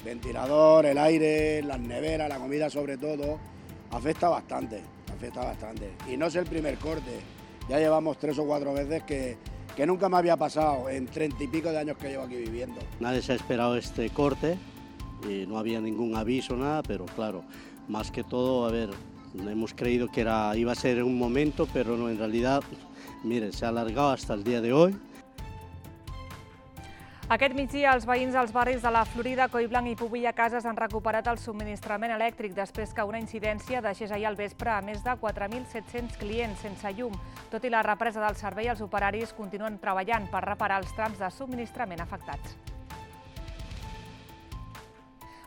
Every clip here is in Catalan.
Ventilador, el aire, las neveras, la comida sobre todo, afecta bastante, afecta bastante. Y no es el primer corte, ya llevamos 3 o 4 veces que nunca me había pasado en 30 y pico de años que llevo aquí viviendo. Nadie se ha esperado este corte y no había ningún aviso, nada, pero claro, más que todo, a ver, hemos creído que iba a ser en un momento, pero no, en realidad, mire, se ha alargado hasta el día de hoy. Aquest migdia, els veïns dels barris de la Florida, Collblanc i Pobilla Cases han recuperat el subministrament elèctric després que una incidència deixés ahir al vespre a més de 4.700 clients sense llum. Tot i la represa del servei, els operaris continuen treballant per reparar els trams de subministrament afectats.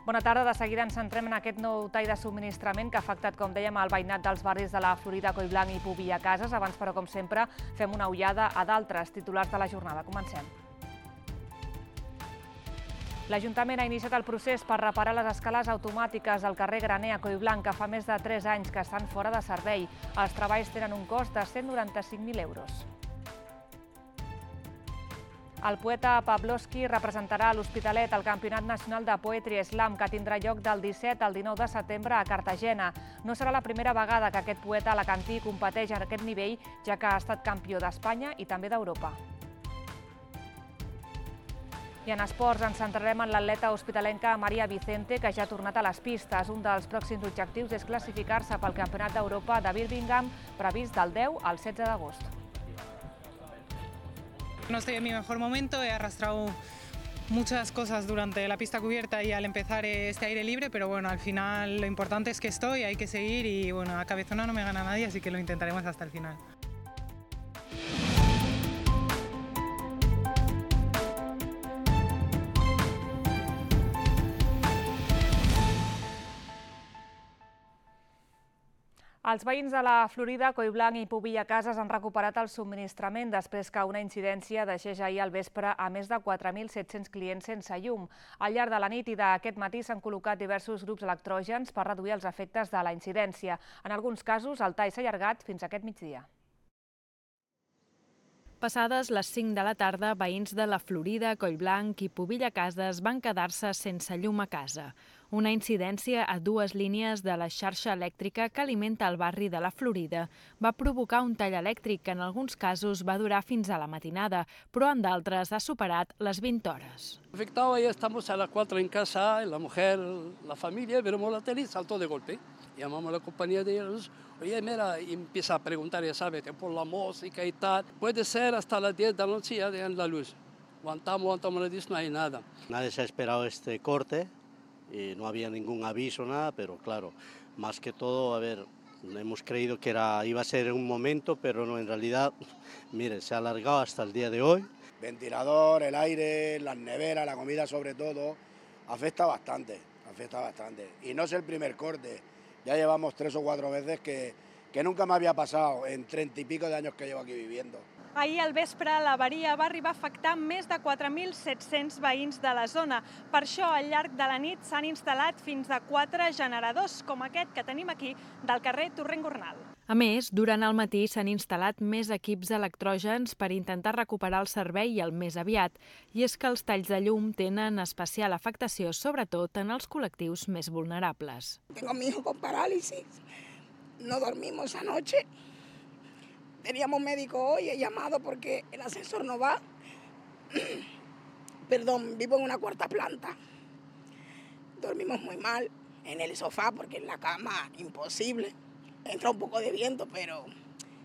Bona tarda. De seguida ens centrem en aquest nou tall de subministrament que ha afectat, com dèiem, el veïnat dels barris de la Florida, Collblanc i Pobilla Cases. Abans, però, com sempre, fem una ullada a d'altres titulars de la jornada. Comencem. L'Ajuntament ha iniciat el procés per reparar les escales automàtiques al carrer Graner a Collblanc, que fa més de 3 anys que estan fora de servei. Els treballs tenen un cost de 195.000 euros. El poeta Pavlovsky representarà a l'Hospitalet el Campionat Nacional de Poetry Slam, que tindrà lloc del 17 al 19 de setembre a Cartagena. No serà la primera vegada que aquest poeta alacantí competeix en aquest nivell, ja que ha estat campió d'Espanya i també d'Europa. I en esports ens centrarem en l'atleta hospitalenca Maria Vicente, que ja ha tornat a les pistes. Un dels pròxims objectius és classificar-se pel Campionat d'Europa de Birmingham, previst del 10 al 16 d'agost. No estoy en mi mejor momento, he arrastrado muchas cosas durante la pista cubierta y al empezar este aire libre, pero bueno, al final lo importante es que estoy, hay que seguir y bueno, a cabezona no me gana nadie, así que lo intentaremos hasta el final. Els veïns de la Florida, Collblanc i Pobilla Cases han recuperat el subministrament després que una incidència deixés ahir al vespre a més de 4.700 clients sense llum. Al llarg de la nit i d'aquest matí s'han col·locat diversos grups electrògens per reduir els efectes de la incidència. En alguns casos, el tall s'ha allargat fins aquest migdia. Passades les 5 de la tarda, veïns de la Florida, Collblanc i Pobilla Cases van quedar-se sense llum a casa. Una incidència a 2 línies de la xarxa elèctrica que alimenta el barri de la Florida va provocar un tall elèctric que en alguns casos va durar fins a la matinada, però en d'altres ha superat les 20 hores. Afectado, ya estamos a las 4 en casa, la mujer, la familia, vemos la tele y saltó de golpe. Llamamos a la compañía de luz, oye, mira, y empieza a preguntar, ya sabes, por la música y tal. Puede ser hasta las 10 de la noche ya dejan la luz. Aguantamos la luz, no hay nada. Nadie se ha esperado este corte y no había ningún aviso, nada, pero claro, más que todo, a ver, hemos creído que iba a ser en un momento, pero no, en realidad, mire, se ha alargado hasta el día de hoy. Ventilador, el aire, las neveras, la comida sobre todo, afecta bastante, afecta bastante. Y no es el primer corte, ya llevamos 3 o 4 veces que nunca me había pasado en 30 y pico de años que llevo aquí viviendo. Ahir al vespre l'avaria va arribar a afectar més de 4.700 veïns de la zona. Per això, al llarg de la nit s'han instal·lat fins a 4 generadors, com aquest que tenim aquí, del carrer Torrent Gornal. A més, durant el matí s'han instal·lat més equips electrògens per intentar recuperar el servei el més aviat. I és que els talls de llum tenen especial afectació, sobretot en els col·lectius més vulnerables. Tengo a mi hijo con parálisis, no dormimos anoche. Teníamos médico hoy, he llamado porque el ascensor no va. Perdón, vivo en una 4ª planta. Dormimos muy mal en el sofá porque en la cama imposible. Entra un poco de viento, pero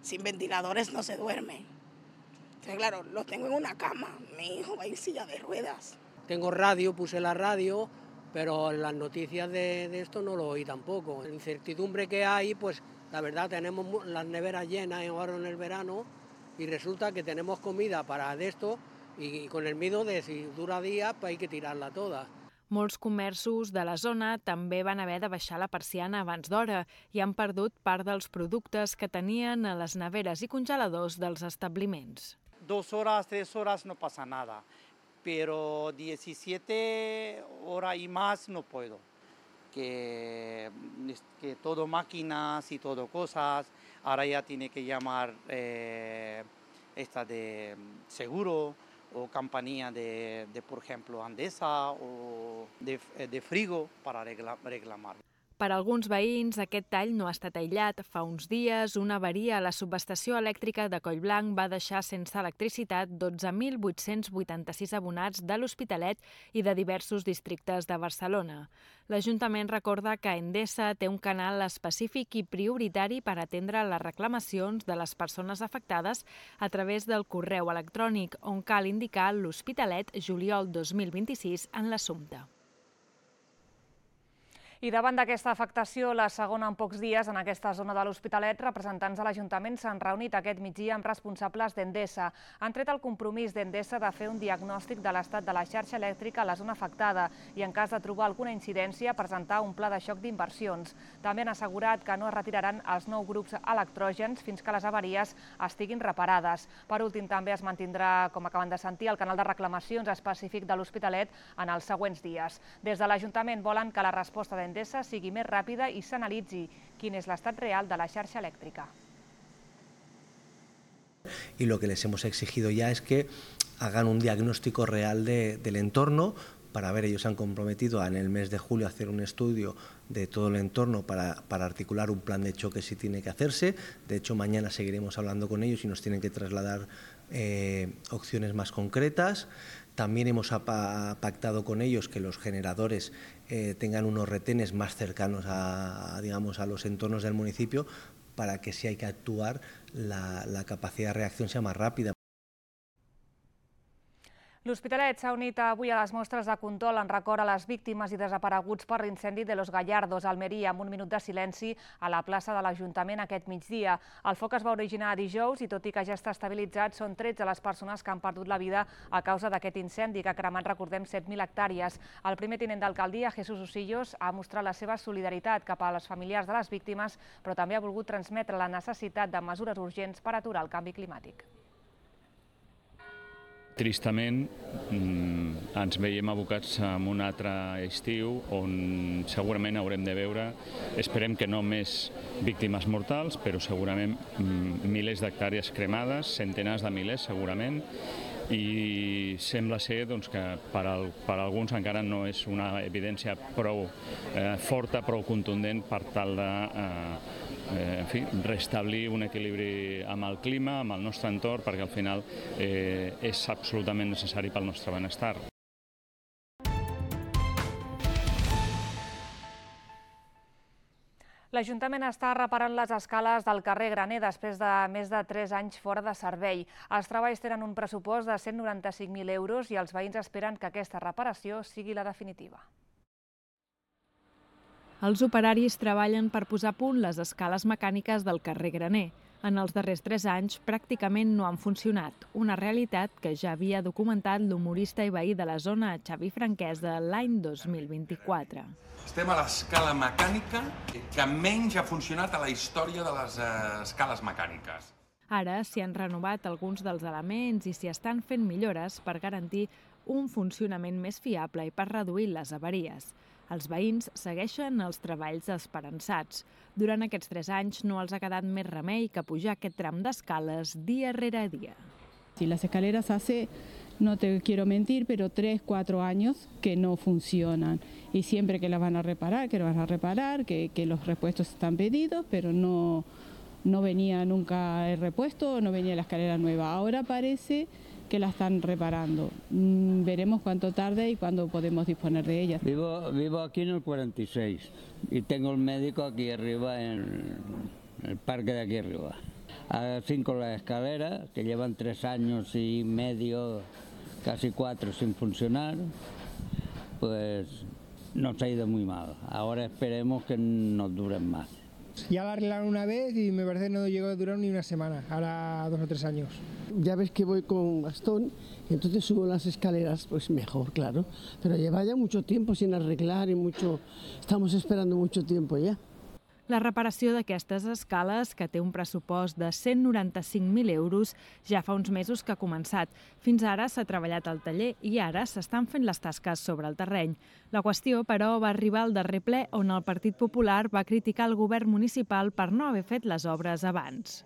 sin ventiladores no se duerme. Entonces, claro, los tengo en una cama. Mi hijo va en silla de ruedas. Tengo radio, puse la radio, pero las noticias de esto no lo oí tampoco. La incertidumbre que hay, pues la verdad tenemos las neveras llenas ahora en el verano y resulta que tenemos comida para esto y con el miedo de si dura días pues hay que tirarla toda. Molts comerços de la zona també van haver de baixar la persiana abans d'hora i han perdut part dels productes que tenien a les neveres i congeladors dels establiments. 2 horas, 3 horas no pasa nada, pero 17 horas y más no puedo. Que todo máquinas y todo cosas, ahora ya tiene que llamar esta de seguro o compañía por ejemplo, Endesa o de Frigo para reclamar. Per a alguns veïns, aquest tall no ha estat aïllat. Fa uns dies, una avaria a la subestació elèctrica de Collblanc va deixar sense electricitat 12.886 abonats de l'Hospitalet i de diversos districtes de Barcelona. L'Ajuntament recorda que Endesa té un canal específic i prioritari per atendre les reclamacions de les persones afectades a través del correu electrònic, on cal indicar l'Hospitalet juliol 2026 en l'assumpte. I davant d'aquesta afectació, la segona en pocs dies en aquesta zona de l'Hospitalet, representants de l'Ajuntament s'han reunit aquest migdia amb responsables d'Endesa. Han tret el compromís d'Endesa de fer un diagnòstic de l'estat de la xarxa elèctrica a la zona afectada i, en cas de trobar alguna incidència, presentar un pla de xoc d'inversions. També han assegurat que no es retiraran els 9 grups electrògens fins que les avaries estiguin reparades. Per últim, també es mantindrà, com acaben de sentir, el canal de reclamacions específic de l'Hospitalet en els següents dies. Des de l'Ajuntament volen que la resposta d'Endesa sigui més ràpida i s'analitzi quin és l'estat real de la xarxa elèctrica. Y lo que les hemos exigido ya es que hagan un diagnóstico real del entorno para ver, ellos se han comprometido en el mes de julio a hacer un estudio de todo el entorno para articular un plan de choque si tiene que hacerse. De hecho, mañana seguiremos hablando con ellos y nos tienen que trasladar opciones más concretas. También hemos pactado con ellos que los generadores tengan unos retenes más cercanos a los entornos del municipio para que si hay que actuar la capacidad de reacción sea más rápida. L'Hospitalet s'ha unit avui a les mostres de condol en record a les víctimes i desapareguts per l'incendi de Los Gallardos, a Almeria, amb un minut de silenci a la plaça de l'Ajuntament aquest migdia. El foc es va originar dijous i, tot i que ja està estabilitzat, són 13 les persones que han perdut la vida a causa d'aquest incendi que ha cremat, recordem, 7.000 hectàrees. El primer tinent d'alcaldia, Jesús Osillos, ha mostrat la seva solidaritat cap a les familiars de les víctimes, però també ha volgut transmetre la necessitat de mesures urgents per aturar el canvi climàtic. Tristament, ens veiem abocats en un altre estiu on segurament haurem de veure, esperem que no més víctimes mortals, però segurament milers d'hectàrees cremades, centenars de milers segurament, i sembla ser que per alguns encara no és una evidència prou forta, prou contundent per tal de restablir un equilibri amb el clima, amb el nostre entorn, perquè al final és absolutament necessari pel nostre benestar. L'Ajuntament està reparant les escales del carrer Graner després de més de 3 anys fora de servei. Els treballs tenen un pressupost de 195.000 euros i els veïns esperen que aquesta reparació sigui la definitiva. Els operaris treballen per posar a punt les escales mecàniques del carrer Graner. En els darrers 3 anys pràcticament no han funcionat, una realitat que ja havia documentat l'humorista i veí de la zona, Xavi Franquesa, l'any 2024. Estem a l'escala mecànica que menys ha funcionat a la història de les escales mecàniques. Ara s'hi han renovat alguns dels elements i s'hi estan fent millores per garantir un funcionament més fiable i per reduir les avaries. Els veïns segueixen els treballs esperançats. Durant aquests 3 anys no els ha quedat més remei que pujar aquest tram d'escales dia rere dia. Si las escaleras hace, no te quiero mentir, pero 3-4 años que no funcionan. Y siempre que las van a reparar, que los repuestos están pedidos, pero no venía nunca el repuesto, no venía la escalera nueva. Ahora parece que la están reparando. Veremos cuánto tarde y cuándo podemos disponer de ellas. Vivo aquí en el 46 y tengo el médico aquí arriba en el parque de aquí arriba. Así con la escalera, que llevan 3 años y medio, casi 4 sin funcionar, pues nos ha ido muy mal. Ahora esperemos que nos duren más. Ya la arreglaron una vez y me parece que no llegó a durar ni una semana, ahora 2 o 3 años. Ya ves que voy con bastón, entonces subo las escaleras, pues mejor, claro. Pero lleva ya mucho tiempo sin arreglar y estamos esperando mucho tiempo ya. La reparació d'aquestes escales, que té un pressupost de 195.000 euros, ja fa uns mesos que ha començat. Fins ara s'ha treballat al taller i ara s'estan fent les tasques sobre el terreny. La qüestió, però, va arribar al darrer ple on el Partit Popular va criticar el govern municipal per no haver fet les obres abans.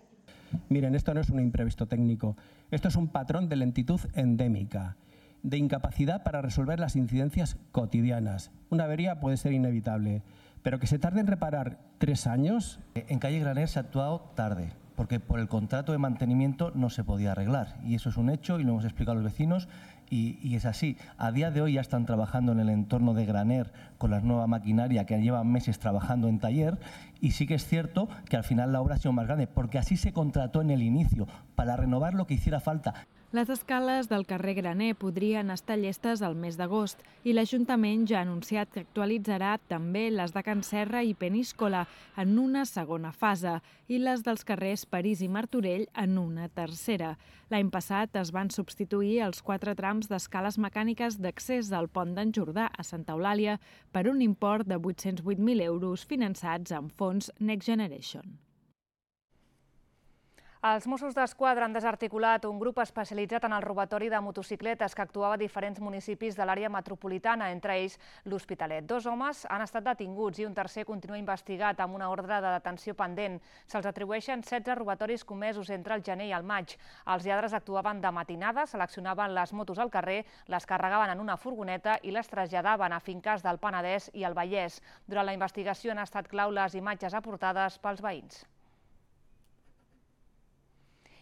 Miren, esto no es un imprevisto técnico. Esto es un patrón de lentitud endémica, de incapacidad para resolver las incidencias cotidianas. Una avería puede ser inevitable, pero que se tarde en reparar 3 años... En calle Graner se ha actuado tarde, porque por el contrato de mantenimiento no se podía arreglar. Y eso es un hecho y lo hemos explicado a los vecinos y es así. A día de hoy ya están trabajando en el entorno de Graner con la nueva maquinaria que llevan meses trabajando en taller y sí que es cierto que al final la obra ha sido más grande porque así se contrató en el inicio para renovar lo que hiciera falta. Les escales del carrer Graner podrien estar llestes al mes d'agost i l'Ajuntament ja ha anunciat que actualitzarà també les de Can Serra i Peníscola en una segona fase i les dels carrers París i Martorell en una tercera. L'any passat es van substituir els 4 trams d'escales mecàniques d'accés al pont d'en Jordà a Santa Eulàlia per un import de 808.000 euros finançats amb fons Next Generation. Els Mossos d'Esquadra han desarticulat un grup especialitzat en el robatori de motocicletes que actuava a diferents municipis de l'àrea metropolitana, entre ells l'Hospitalet. 2 homes han estat detinguts i un tercer continua investigat amb una ordre de detenció pendent. Se'ls atribueixen 16 robatoris comesos entre el gener i el maig. Els lladres actuaven de matinada, seleccionaven les motos al carrer, les carregaven en una furgoneta i les traslladaven a finques del Penedès i el Vallès. Durant la investigació han estat clau les imatges aportades pels veïns.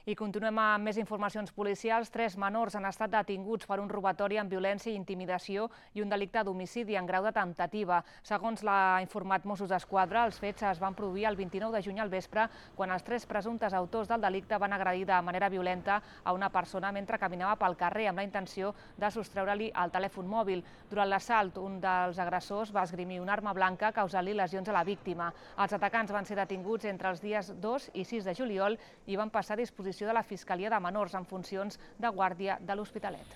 I continuem amb més informacions policials. 3 menors han estat detinguts per un robatori amb violència i intimidació i un delicte d'homicidi en grau de temptativa. Segons l'ha informat Mossos d'Esquadra, els fets es van produir el 29 de juny al vespre quan els 3 presumptes autors del delicte van agredir de manera violenta a una persona mentre caminava pel carrer amb la intenció de sostreure-li el telèfon mòbil. Durant l'assalt, un dels agressors va esgrimir una arma blanca causant-li lesions a la víctima. Els atacants van ser detinguts entre els dies 2 i 6 de juliol i van passar a disposició de la Fiscalia de Menors en funcions de guàrdia de l'Hospitalet.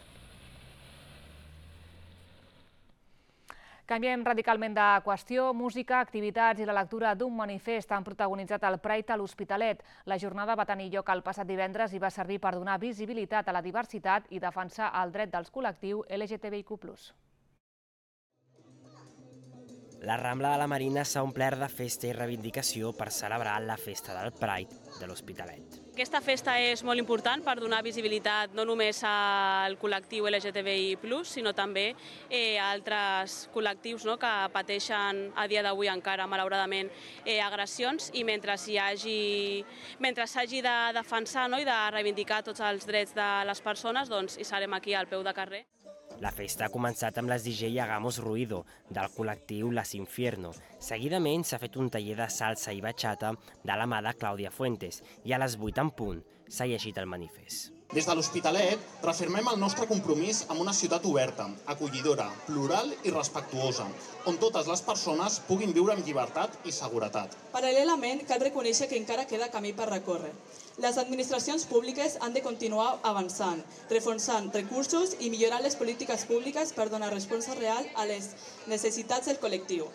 Canviem radicalment de qüestió. Música, activitats i la lectura d'un manifest han protagonitzat el Pride a l'Hospitalet. La jornada va tenir lloc el passat divendres i va servir per donar visibilitat a la diversitat i defensar el dret dels col·lectius LGTBIQ+. La Rambla de la Marina s'ha omplert de festa i reivindicació per celebrar la festa del Pride de l'Hospitalet. Aquesta festa és molt important per donar visibilitat no només al col·lectiu LGTBI+, sinó també a altres col·lectius que pateixen a dia d'avui encara, malauradament, agressions i mentre s'hagi de defensar i de reivindicar tots els drets de les persones, doncs hi serem aquí al peu de carrer. La festa ha començat amb les DJ Hagamos Ruido, del col·lectiu Las Infierno. Seguidament s'ha fet un taller de salsa i bachata de la mà de Clàudia Fuentes i a les 8 en punt s'ha llegit el manifest. Des de l'Hospitalet reafirmem el nostre compromís amb una ciutat oberta, acollidora, plural i respectuosa, on totes les persones puguin viure amb llibertat i seguretat. Paral·lelament, cal reconèixer que encara queda camí per recórrer. Les administracions públiques han de continuar avançant, reforçant recursos i millorant les polítiques públiques per donar resposta real a les necessitats del col·lectiu.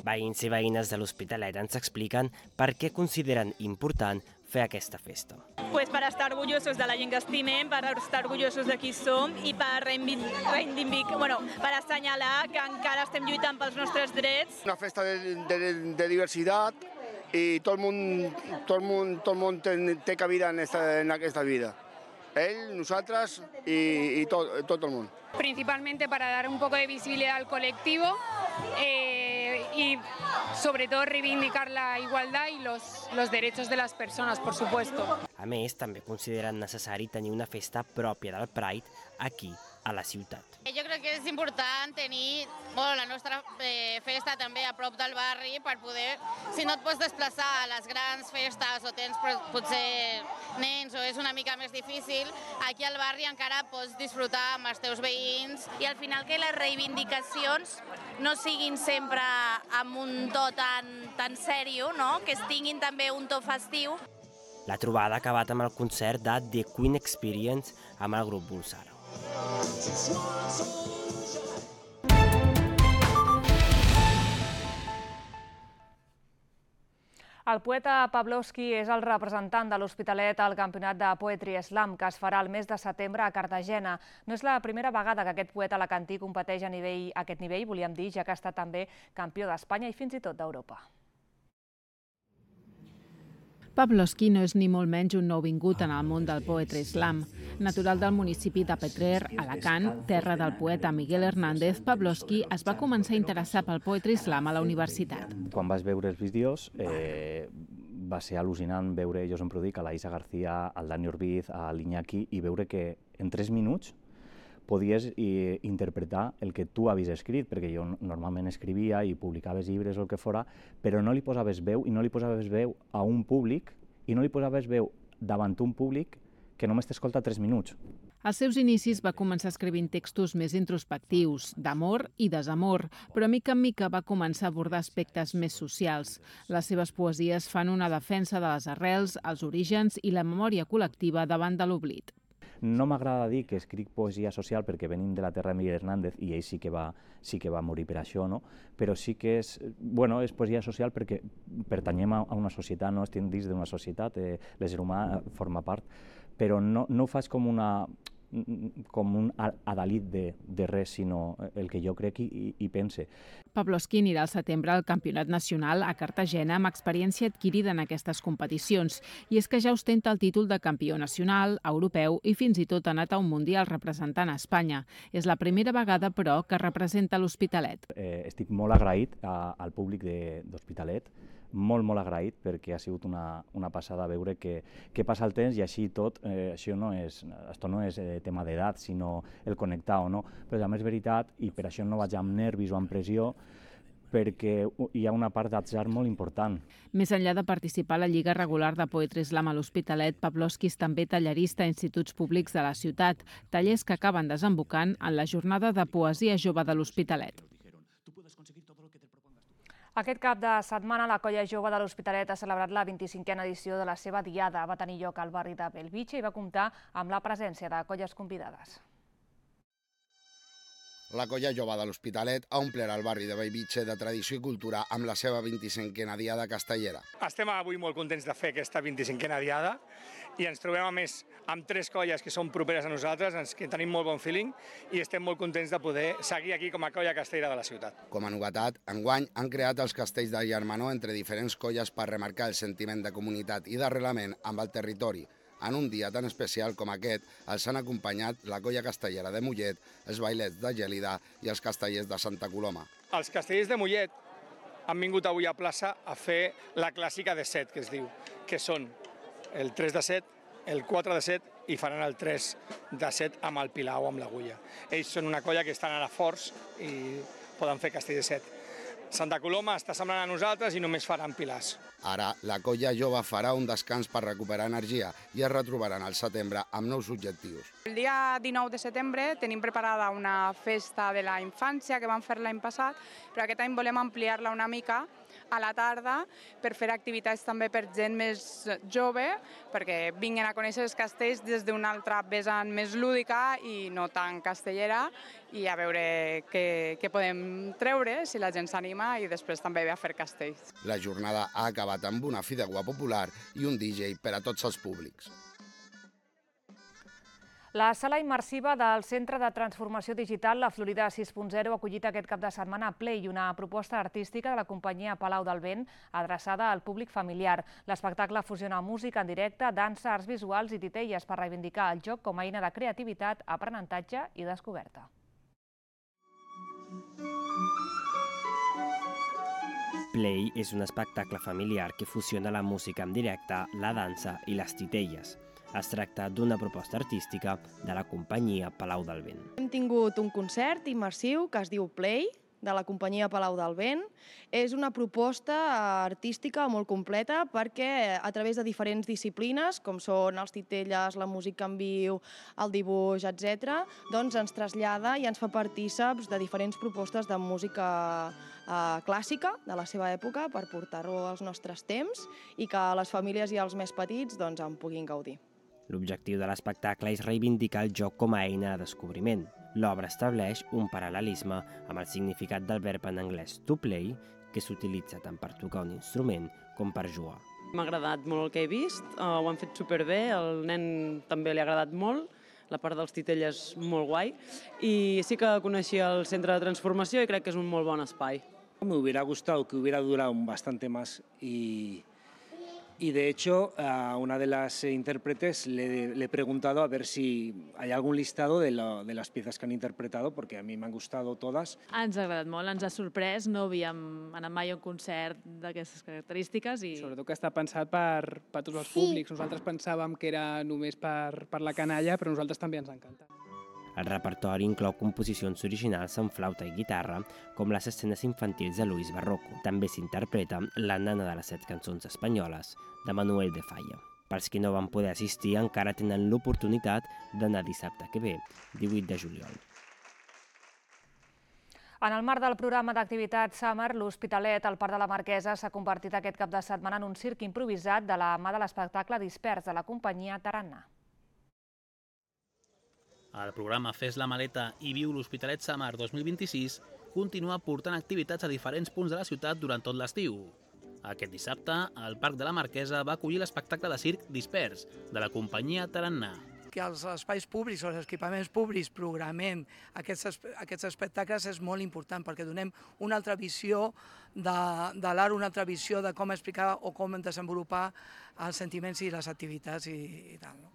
Veïns i veïnes de l'Hospitalet ens expliquen per què consideren important fer aquesta festa. Pues para estar orgullosos de la gent que estimem, per estar orgullosos de qui som i per assenyalar que encara estem lluitant pels nostres drets. Una festa de diversitat i tot el món té cabida en aquesta vida. Él, nosaltres y todo el mundo. Principalmente para dar un poco de visibilidad al colectivo y sobre todo reivindicar la igualdad y los derechos de las personas, por supuesto. A més, també consideren necessari tenir una festa pròpia del Pride aquí, a la ciutat. Jo crec que és important tenir la nostra festa també a prop del barri per poder, si no et pots desplaçar a les grans festes o tens potser nens o és una mica més difícil, aquí al barri encara pots disfrutar amb els teus veïns. I al final que les reivindicacions no siguin sempre amb un to tan sèrio, que es tinguin també un to festiu. La trobada ha acabat amb el concert de The Queen Experience amb el grup Bulsara. El poeta Pavlovsky és el representant de l'Hospitalet al campionat de Poetry Slam que es farà el mes de setembre a Cartagena. No és la primera vegada que aquest poeta alacantí competeix a aquest nivell, volíem dir, ja que ha estat també campió d'Espanya i fins i tot d'Europa. Pavlovsky no és ni molt menys un nouvingut en el món del poetry slam. Natural del municipi de Petrer, Alacant, terra del poeta Miguel Hernández, Pavlovsky es va començar a interessar pel poetry slam a la universitat. Quan vas veure els vídeos va ser al·lucinant veure, jo sempre ho dic, a la Isa García, al Dani Orbiz, a l'Iñaki, i veure que en 3 minuts podies interpretar el que tu havies escrit, perquè jo normalment escrivia i publicaves llibres o el que fora, però no li posaves veu, i no li posaves veu a un públic, i no li posaves veu davant un públic que només t'escolta 3 minuts. Als seus inicis va començar escrivint textos més introspectius, d'amor i desamor, però mica en mica va començar a abordar aspectes més socials. Les seves poesies fan una defensa de les arrels, els orígens i la memòria col·lectiva davant de l'oblit. No m'agrada dir que escric poesia social perquè venim de la terra de Miguel Hernández i ell sí que va morir per això, no? Però sí que és poesia social perquè pertanyem a una societat, no estem dins d'una societat, l'ésser humà forma part, però no ho faig com un adalit de res, sinó el que jo crec i pense. Pavlovsky anirà al setembre al Campionat Nacional a Cartagena amb experiència adquirida en aquestes competicions. I és que ja ostenta el títol de campió nacional, europeu i fins i tot ha anat a un mundial representant a Espanya. És la primera vegada, però, que representa l'Hospitalet. Estic molt agraït al públic d'Hospitalet, molt agraït, perquè ha sigut una passada veure que passa el temps i així tot, això no és tema d'edat, sinó el connectar o no, però també és veritat, i per això no vaig amb nervis o amb pressió, perquè hi ha una part d'atzar molt important. Més enllà de participar a la Lliga Regular de Poetry Slam a l'Hospitalet, Pavlovsky és també tallerista a instituts públics de la ciutat, tallers que acaben desembocant en la jornada de poesia jove de l'Hospitalet. Aquest cap de setmana la Colla Jove de l'Hospitalet ha celebrat la 25a edició de la seva diada. Va tenir lloc al barri de Bellvitge i va comptar amb la presència de colles convidades. La Colla Jove de l'Hospitalet ha omplert el barri de Bellvitge de tradició i cultura amb la seva 25a diada castellera. Estem avui molt contents de fer aquesta 25a diada i ens trobem a més amb 3 colles que són properes a nosaltres, que tenim molt bon feeling i estem molt contents de poder seguir aquí com a colla castellera de la ciutat. Com a novetat, enguany han creat els castells de germanor entre diferents colles per remarcar el sentiment de comunitat i d'arrelament amb el territori. En un dia tan especial com aquest, els han acompanyat la colla castellera de Mollet, els bailets de Gèlida i els castellers de Santa Coloma. Els castellers de Mollet han vingut avui a plaça a fer la clàssica de 7, que es diu, que són el 3 de 7, el 4 de 7 i faran el 3 de 7 amb el pilar o amb l'agulla. Ells són una colla que estan ara forts i poden fer castell de 7. Santa Coloma està semblant a nosaltres i només faran pilars. Ara, la Colla Jove farà un descans per recuperar energia i es retrobaran al setembre amb nous objectius. El dia 19 de setembre tenim preparada una festa de la infància que vam fer l'any passat, però aquest any volem ampliar-la una mica a la tarda per fer activitats també per gent més jove, perquè vinguin a conèixer els castells des d'una altra vessant més lúdica i no tan castellera, i a veure què podem treure, si la gent s'anima, i després també ve a fer castells. La jornada ha acabat amb una fideuà popular i un DJ per a tots els públics. La sala immersiva del Centre de Transformació Digital, la Florida 6.0, ha acollit aquest cap de setmana Play, una proposta artística de la companyia Palau del Vent adreçada al públic familiar. L'espectacle fusiona música en directe, dansa, arts visuals i titelles per reivindicar el joc com a eina de creativitat, aprenentatge i descoberta. Play és un espectacle familiar que fusiona la música en directe, la dansa i les titelles. Es tracta d'una proposta artística de la companyia Palau del Vent. Hem tingut un concert immersiu que es diu Play, de la companyia Palau del Vent. És una proposta artística molt completa perquè a través de diferents disciplines, com són els titelles, la música en viu, el dibuix, etc., doncs ens trasllada i ens fa partíceps de diferents propostes de música clàssica de la seva època per portar-ho als nostres temps i que les famílies i els més petits en puguin gaudir. L'objectiu de l'espectacle és reivindicar el joc com a eina de descobriment. L'obra estableix un paral·lelisme amb el significat del verb en anglès to play, que s'utilitza tant per tocar un instrument com per jugar. M'ha agradat molt el que he vist, ho han fet superbé, al nen també li ha agradat molt, la part dels titelles molt guai, y sí que coneixia el Centre de Transformació i crec que és un molt bon espai. Me hubiera gustado que hubiera durado bastante más y Y de hecho, a una de las intérpretes le he preguntado a ver si hay algún listado de las piezas que han interpretado, porque a mí me han gustado todas. Ens ha agradat molt, ens ha sorprès, no havíem anat mai a un concert d'aquestes característiques. Sobretot que està pensat per tots els públics. Nosaltres pensàvem que era només per la canalla, però a nosaltres també ens encanta. El repertori inclou composicions originals en flauta i guitarra, com les escenes infantils de Luis Barroco. També s'interpreta La nana de les 7 cançons espanyoles, de Manuel de Falla. Pels qui no van poder assistir encara tenen l'oportunitat d'anar dissabte que ve, 18 de juliol. En el marc del programa d'activitat Summer, l'Hospitalet al Parc de la Marquesa s'ha convertit aquest cap de setmana en un circ improvisat de la mà de l'espectacle Dispers de la companyia Tarannà. El programa Fes la maleta i viu l'Hospitalet Summer 2026 continua portant activitats a diferents punts de la ciutat durant tot l'estiu. Aquest dissabte, el Parc de la Marquesa va acollir l'espectacle de circ Dispers, de la companyia Tarannà. Que als espais públics o als equipaments públics programem aquests espectacles és molt important perquè donem una altra visió de l'art, una altra visió de com explicar o com desenvolupar els sentiments i les activitats i tal.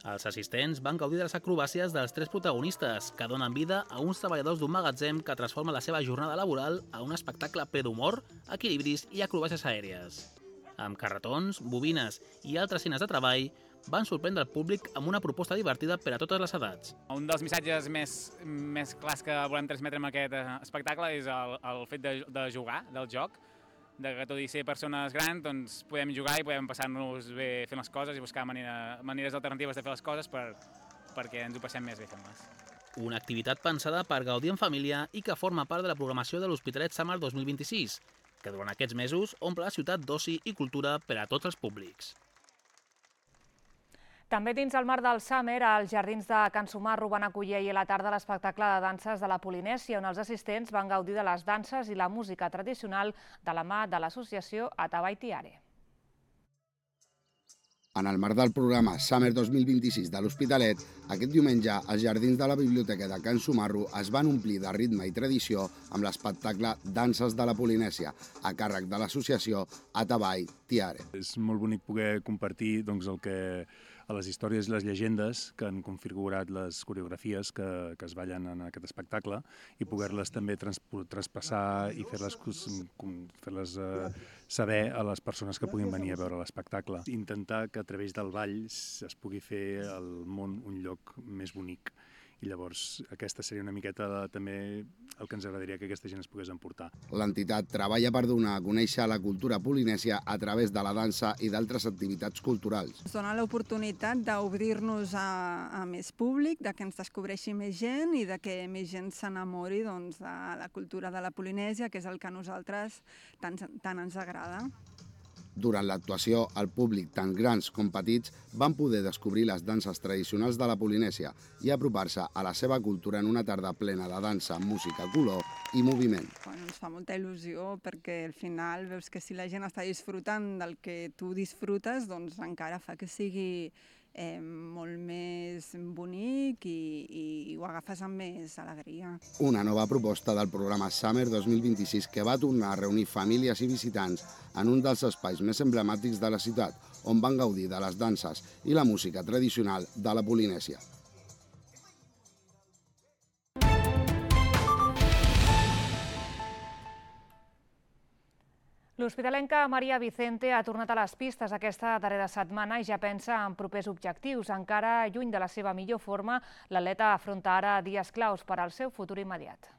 Els assistents van gaudir de les acrobàcies dels 3 protagonistes, que donen vida a uns treballadors d'un magatzem que transforma la seva jornada laboral a un espectacle ple d'humor, equilibris i acrobàcies aèries. Amb carretons, bobines i altres eines de treball, van sorprendre el públic amb una proposta divertida per a totes les edats. Un dels missatges més clars que volem transmetre amb aquest espectacle és el fet de jugar, del joc, que tot i ser persones grans doncs podem jugar i podem passar-nos bé fent les coses i buscar maneres alternatives de fer les coses perquè ens ho passem més bé fent-les. Una activitat pensada per gaudir en família i que forma part de la programació de l'Hospitalet Summer 2026, que durant aquests mesos omple la ciutat d'oci i cultura per a tots els públics. També dins el marc del Summer, als jardins de Can Sumarro van acollir ahir a la tarda l'espectacle de danses de la Polinèsia, on els assistents van gaudir de les danses i la música tradicional de la mà de l'associació Atabai Tiare. En el marc del programa Summer 2026 de l'Hospitalet, aquest diumenge els jardins de la Biblioteca de Can Sumarro es van omplir de ritme i tradició amb l'espectacle Danses de la Polinèsia, a càrrec de l'associació Atabai Tiare. És molt bonic poder compartir el que a les històries i les llegendes que han configurat les coreografies que es ballen en aquest espectacle i poder-les també traspassar i fer-les saber a les persones que puguin venir a veure l'espectacle. Intentar que a través del ball es pugui fer el món un lloc més bonic. I llavors aquesta seria una miqueta també el que ens agradaria que aquesta gent es pogués emportar. L'entitat treballa per donar a conèixer la cultura polinèsia a través de la dansa i d'altres activitats culturals. Ens dona l'oportunitat d'obrir-nos a més públic, de que ens descobreixi més gent i de que més gent s'enamori de la cultura de la Polinèsia, que és el que a nosaltres tant ens agrada. Durant l'actuació, el públic, tant grans com petits, van poder descobrir les danses tradicionals de la Polinèsia i apropar-se a la seva cultura en una tarda plena de dansa, música, color i moviment. Ens fa molta il·lusió perquè al final veus que si la gent està disfrutant del que tu disfrutes, doncs encara fa que sigui molt més bonic i ho agafes amb més alegria. Una nova proposta del programa Summer 2026 que va tornar a reunir famílies i visitants en un dels espais més emblemàtics de la ciutat, on van gaudir de les danses i la música tradicional de la Polinèsia. L'hospitalenca Maria Vicente ha tornat a les pistes aquesta darrera setmana i ja pensa en propers objectius. Encara lluny de la seva millor forma, l'atleta afronta ara dies claus per al seu futur immediat.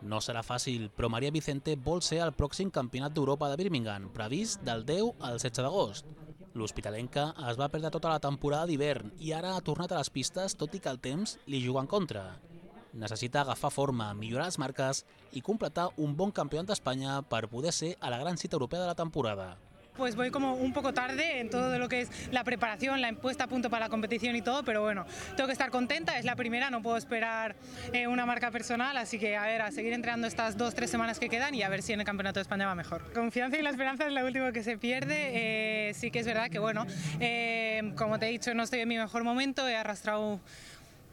No serà fàcil, però Maria Vicente vol ser el pròxim campionat d'Europa de Birmingham, previst del 10 al 16 d'agost. L'hospitalenca es va perdre tota la temporada d'hivern i ara ha tornat a les pistes, tot i que el temps li juga en contra. Necessita agafar forma, millorar les marques i completar un bon campionat d'Espanya per poder ser a la gran cita europea de la temporada. Pues voy como un poco tarde en todo lo que es la preparación, la puesta a punto para la competición y todo, pero bueno, tengo que estar contenta, es la primera, no puedo esperar una marca personal, así que a seguir entrenando estas 2-3 semanas que quedan y a ver si en el Campeonato de España va mejor. Confianza y la esperanza es lo último que se pierde, sí que es verdad que bueno, como te he dicho, no estoy en mi mejor momento, he arrastrado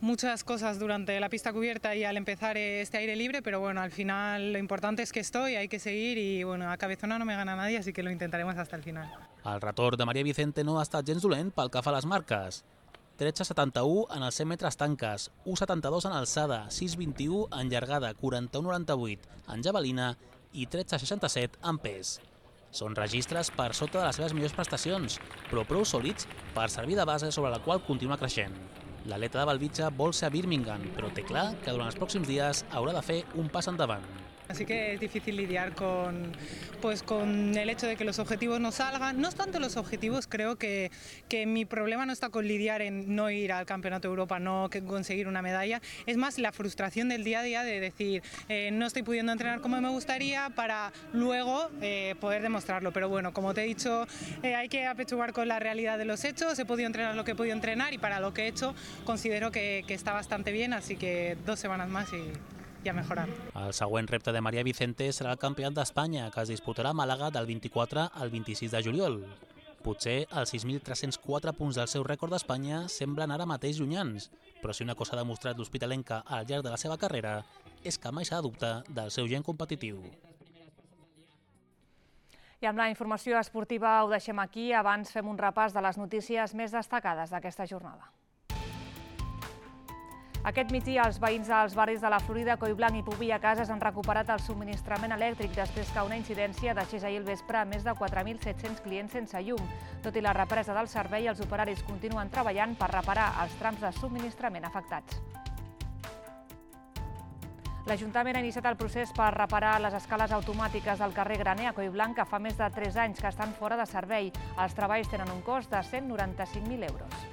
muchas cosas durante la pista cubierta y al empezar este aire libre, pero bueno, al final lo importante es que estoy, hay que seguir y bueno, a cabezona no me gana nadie, así que lo intentaremos hasta el final. El retorn de Maria Vicente no ha estat gens dolent pel que fa a les marques. 13,71 en els 100 metres tanques, 1,72 en alçada, 6,21 en llargada, 41,98 en javelina i 13,67 en pes. Són registres per sota de les seves millors prestacions, però prou sòlids per servir de base sobre la qual continua creixent. L'atleta de Belvitge vol ser a Birmingham, però té clar que durant els pròxims dies haurà de fer un pas endavant. Así que es difícil lidiar con el hecho de que los objetivos no salgan. No es tanto los objetivos, creo que mi problema no está con lidiar en no ir al Campeonato de Europa, no conseguir una medalla. Es más la frustración del día a día de decir no estoy pudiendo entrenar como me gustaría para luego poder demostrarlo. Pero bueno, como te he dicho, hay que apechugar con la realidad de los hechos. He podido entrenar lo que he podido entrenar y para lo que he hecho considero que está bastante bien, así que 2 semanas más y a mejorar. El següent repte de Maria Vicente serà el Campionat d'Espanya, que es disputarà a Màlaga del 24 al 26 de juliol. Potser els 6.304 punts del seu rècord d'Espanya semblen ara mateix llunyans, però si una cosa ha demostrat l'hospitalenca al llarg de la seva carrera és que mai s'ha de dubtar del seu gen competitiu. I amb la informació esportiva ho deixem aquí. Abans fem un repàs de les notícies més destacades d'aquesta jornada. Aquest migdia, els veïns dels barris de la Florida, Collblanc i Pobilla Cases han recuperat el subministrament elèctric després que una incidència deixés ahir al vespre a més de 4.700 clients sense llum. Tot i la represa del servei, els operaris continuen treballant per reparar els trams de subministrament afectats. L'Ajuntament ha iniciat el procés per reparar les escales automàtiques del carrer Graner a Collblanc, que fa més de 3 anys que estan fora de servei. Els treballs tenen un cost de 195.000 euros.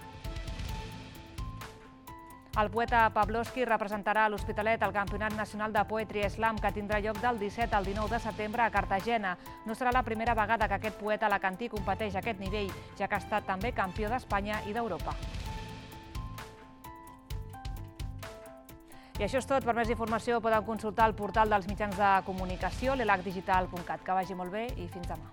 El poeta Pavlovsky representarà a l'Hospitalet el Campionat Nacional de Poetry Slam, que tindrà lloc del 17 al 19 de setembre a Cartagena. No serà la primera vegada que aquest poeta alacantí competeix a aquest nivell, ja que ha estat també campió d'Espanya i d'Europa. I això és tot. Per més informació poden consultar el portal dels mitjans de comunicació, l'elacdigital.cat. Que vagi molt bé i fins demà.